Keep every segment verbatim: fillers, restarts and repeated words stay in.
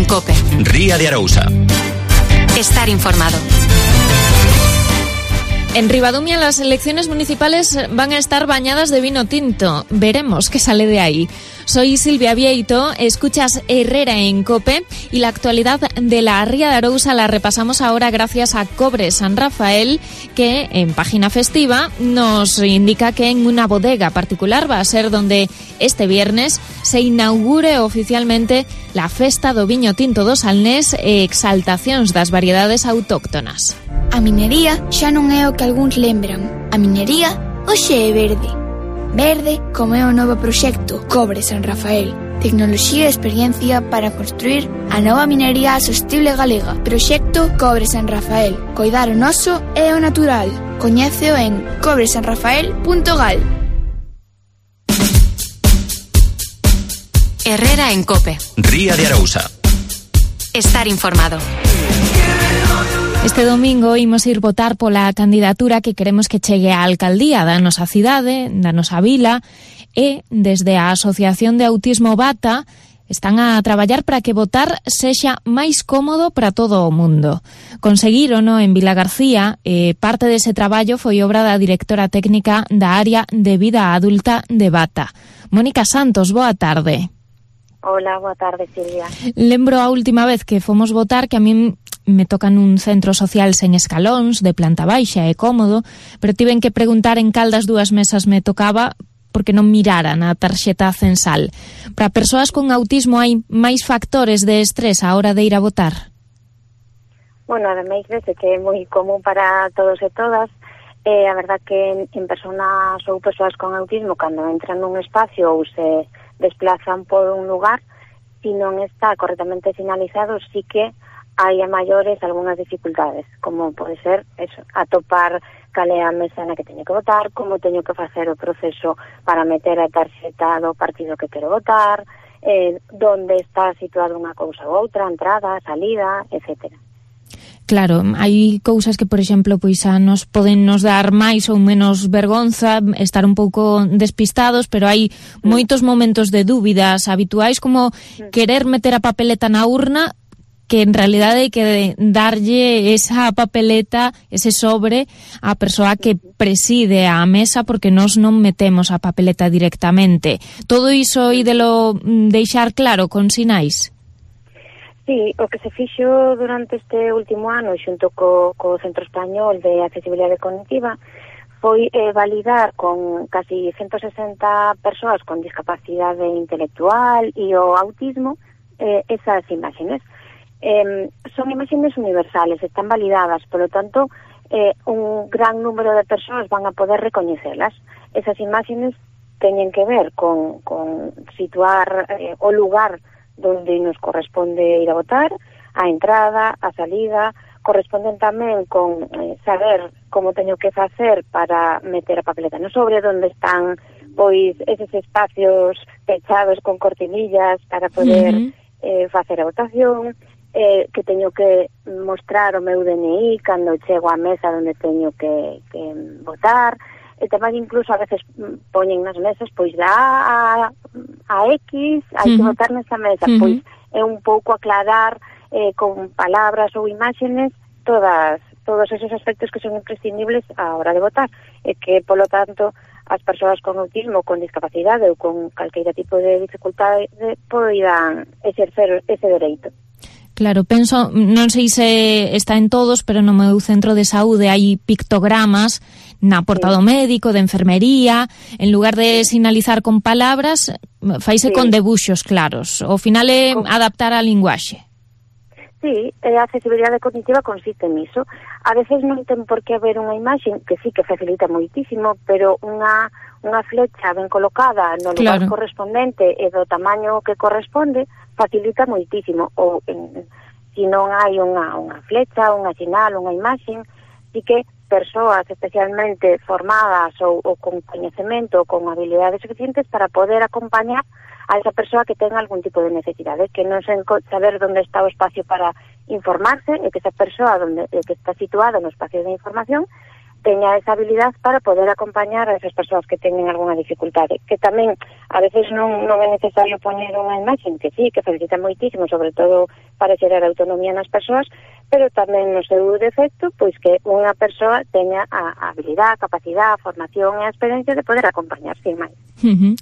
COPE. Ría de Arousa. Estar informado. En Ribadumia las elecciones municipales van a estar bañadas de vino tinto. Veremos qué sale de ahí. Soy Silvia Vieito, escuchas Herrera en COPE y la actualidad de la Ría de Arousa la repasamos ahora gracias a Cobre San Rafael, que en página festiva nos indica que en una bodega particular va a ser donde este viernes se inaugure oficialmente la Festa do Viño Tinto do Salnés e exaltacións das variedades autóctonas. A minería xa non é o que algúns lembran. A minería hoxe é verde. Verde como é o novo proxecto Cobre San Rafael. Tecnoloxía e experiencia para construir a nova minería sostible galega. Proxecto Cobre San Rafael. Coidar o noso e o natural. Coñéceo en cobre san rafael punto gal. Herrera en COPE. Ría de Arousa. Estar informado. Este domingo imos ir votar pola candidatura que queremos que chegue á alcaldía da nosa cidade, da nosa vila, e desde a Asociación de Autismo Bata están a traballar para que votar sexa máis cómodo para todo o mundo. Conseguírono en Vila García e parte dese traballo foi obra da directora técnica da área de vida adulta de Bata. Mónica Santos, boa tarde. Hola, boa tarde, Silvia. Lembro a última vez que fomos votar que a min me tocan un centro social sen escalóns, de planta baixa e cómodo, pero tiven que preguntar en cal das dúas mesas me tocaba porque non miraran a tarxeta censal. Para persoas con autismo hai máis factores de estrés á hora de ir a votar? Bueno, ademais dese que é moi común para todos e todas, eh, a verdad que en, en personas ou persoas con autismo, cando entran nun espacio ou se desplazan por un lugar, si non está correctamente sinalizado, sí que hai a maiores algunhas dificultades, como pode ser eso, atopar cal é a mesa na que teño que votar, como teño que facer o proceso para meter a tarxeta do partido que quero votar, eh, donde está situada unha cousa ou outra, entrada, salida, etcétera. Claro, hai cousas que, por exemplo, pois a nos poden nos dar máis ou menos vergonza, estar un pouco despistados, pero hai moitos momentos de dúbidas habituais, como querer meter a papeleta na urna, que en realidade hai que darlle esa papeleta, ese sobre, á persoa que preside a mesa, porque nós non metemos a papeleta directamente. Todo iso ídelo deixar claro con sinais? Sí, o que se fixo durante este último ano xunto co, co Centro Español de Accesibilidade Cognitiva foi eh, validar con casi ciento sesenta persoas con discapacidade intelectual e o autismo eh, esas imágenes. Eh, son imágenes universales, están validadas, por lo tanto, eh, un gran número de persoas van a poder recoñecelas. Esas imágenes teñen que ver con, con situar eh, o lugar donde nos corresponde ir a votar, a entrada, a salida, corresponden tamén con eh, saber como teño que facer para meter a papeleta no sobre, donde están pois eses espacios pechados con cortinillas para poder uh-huh. eh, facer a votación, eh, que teño que mostrar o meu D N I cando chego á mesa onde teño que, que votar, e tamén incluso a veces poñen nas mesas pois da a, a X, hai uh-huh. que votar nesa mesa, uh-huh. pois é un pouco aclarar eh, con palabras ou imágenes todas todos esos aspectos que son imprescindibles á hora de votar, e que, polo tanto, as persoas con autismo, con discapacidade ou con calqueira tipo de dificultade poidan exercer ese dereito. Claro, penso, non sei se está en todos, pero no meu centro de saúde hai pictogramas na porta do médico, de enfermería, en lugar de sinalizar con palabras, faise sí. con debuxos claros. Ao final é adaptar a linguaxe. Sí, a accesibilidade cognitiva consiste niso. A veces non ten por que haber unha imaxe, que sí que facilita moitísimo, pero unha, unha flecha ben colocada no lugar claro. correspondente e do tamaño que corresponde facilita moitísimo. Ou en, se non hai unha, unha flecha, unha sinal, unha imaxe, sí que persoas especialmente formadas ou, ou con coñecemento ou con habilidades suficientes para poder acompañar a esa persoa que ten algún tipo de necesidade, que non sen saber onde está o espacio para informarse, e que esa persoa donde, que está situada no espacio de información teña esa habilidad para poder acompañar a esas persoas que teñen algunha dificultade, que tamén a veces non, non é necesario poñer unha imaxe, que sí, que facilita moitísimo, sobre todo para xerar autonomía nas persoas, pero tamén no seu defecto, pois que unha persoa teña a, a habilidad, a capacidade, a formación e a experiencia de poder acompañar sin máis. Uh-huh.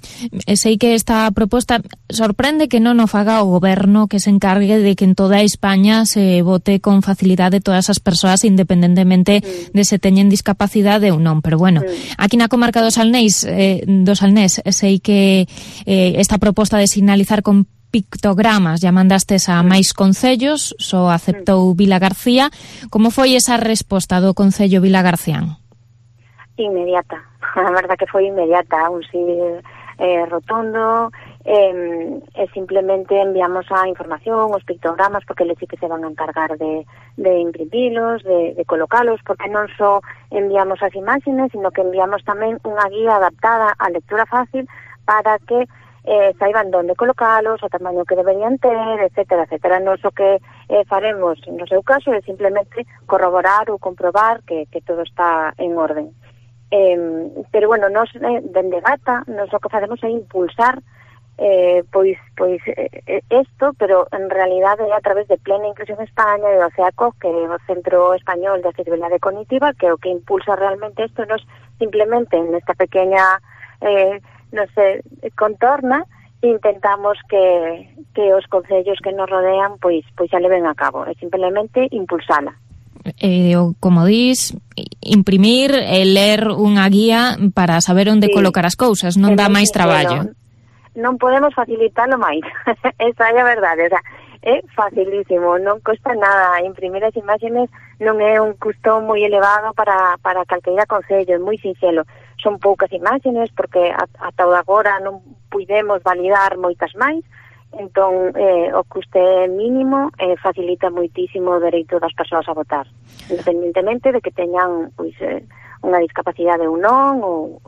Sei que esta proposta sorprende que non o faga o goberno, que se encargue de que en toda España se vote con facilidade todas as persoas independentemente mm. de se teñen discapacidade ou non, pero bueno, mm. aquí na comarca do Salnés, eh, do Salnés sei que eh, esta proposta de sinalizar con pictogramas ya mandastes a máis concellos, só aceptou Vilagarcía. Como foi esa resposta do Concello Vilagarcián? Inmediata, a verdad que foi inmediata, un sí eh, rotundo, eh, e simplemente enviamos a información, os pictogramas, porque eles sí que se van a encargar de, de imprimilos, de, de colocalos, porque non só enviamos as imágenes, sino que enviamos tamén unha guía adaptada á lectura fácil para que eh, saiban onde colocalos, o tamaño que deberían ter, etcétera, etcétera. Non só que eh, faremos, no seu caso, é simplemente corroborar ou comprobar que, que todo está en orden. Eh, pero, bueno, nos, eh, dende Gata, nos o que facemos é impulsar eh, pois, pois eh, esto, pero en realidade é a través de Plena Inclusión España e do CEACOG, que é o Centro Español de Accesibilidade Cognitiva, que é o que impulsa realmente isto. Nos simplemente nesta pequeña eh, non sei, contorna, intentamos que, que os concellos que nos rodean pois pois xa leven a cabo, é simplemente impulsala. Eh, como dís, imprimir e ler unha guía para saber onde sí. colocar as cousas, non dá máis traballo. Non podemos facilitarlo máis, esa é a verdade, o sea, é facilísimo, non custa nada, imprimir as imágenes non é un custo moi elevado para, para calqueira concello, é moi sinxelo, son poucas imágenes porque ata o de agora non puidemos validar moitas máis, entón eh, o custe mínimo eh, facilita moitísimo o dereito das persoas a votar, independentemente de que teñan pois, eh, unha discapacidade ou non, ou,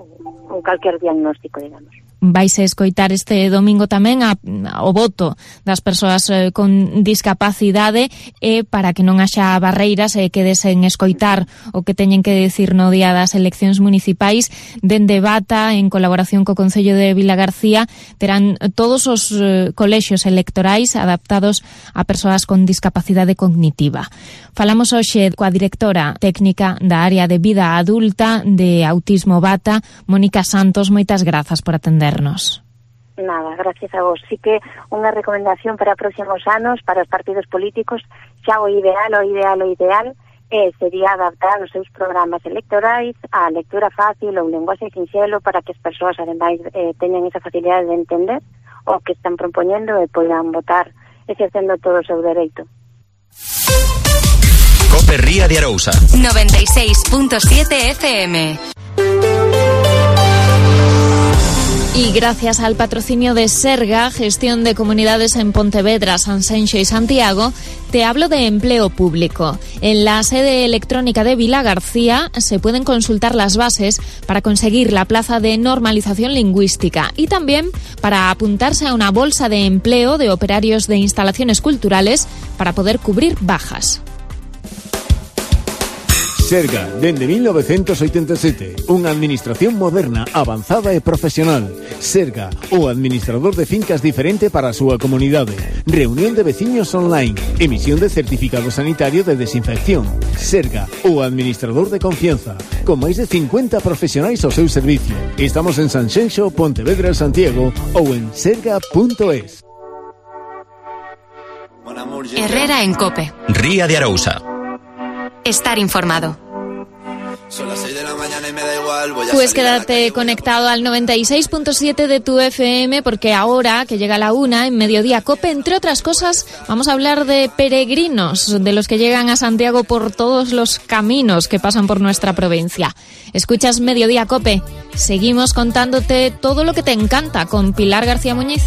ou calquer diagnóstico, digamos. Vais a escoitar este domingo tamén a, a, o voto das persoas eh, con discapacidade, e para que non haxa barreiras e eh, que desen escoitar o que teñen que decir no día das eleccións municipais, dende Bata, en colaboración co Concello de Vilagarcía, terán todos os eh, colexios electorais adaptados a persoas con discapacidade cognitiva. Falamos hoxe coa directora técnica da área de vida adulta de Autismo Bata, Mónica Santos. Moitas grazas por atender. Nada, gracias a vos. Sí que unha recomendación para próximos anos para os partidos políticos, xa o ideal, o ideal, o ideal eh, sería adaptar os seus programas electorais á lectura fácil ou lenguaxe sinxelo para que as persoas, ademais, eh, teñan esa facilidade de entender o que están propoñendo e poidan votar exercendo todo o seu dereito. Cope Ría de Arousa noventa y seis punto siete F M. Y gracias al patrocinio de Serga, Gestión de Comunidades en Pontevedra, Sanxenxo y Santiago, te hablo de empleo público. En la sede electrónica de Vilagarcía se pueden consultar las bases para conseguir la plaza de normalización lingüística y también para apuntarse a una bolsa de empleo de operarios de instalaciones culturales para poder cubrir bajas. Serga, dende mil novecientos oitenta e sete, unha administración moderna, avanzada e profesional. Serga, o administrador de fincas diferente para a súa comunidade. Reunión de veciños online, emisión de certificado sanitario de desinfección. Serga, o administrador de confianza, con máis de cincuenta profesionais ao seu servicio. Estamos en Sanxenxo, Pontevedra, Santiago ou en serga punto es. Herrera en Cope. Ría de Arousa. Estar informado. Pues quédate conectado al noventa y seis punto siete de tu F M, porque ahora que llega la una en Mediodía Cope, entre otras cosas, vamos a hablar de peregrinos, de los que llegan a Santiago por todos los caminos que pasan por nuestra provincia. Escuchas Mediodía Cope. Seguimos contándote todo lo que te encanta con Pilar García Muñiz.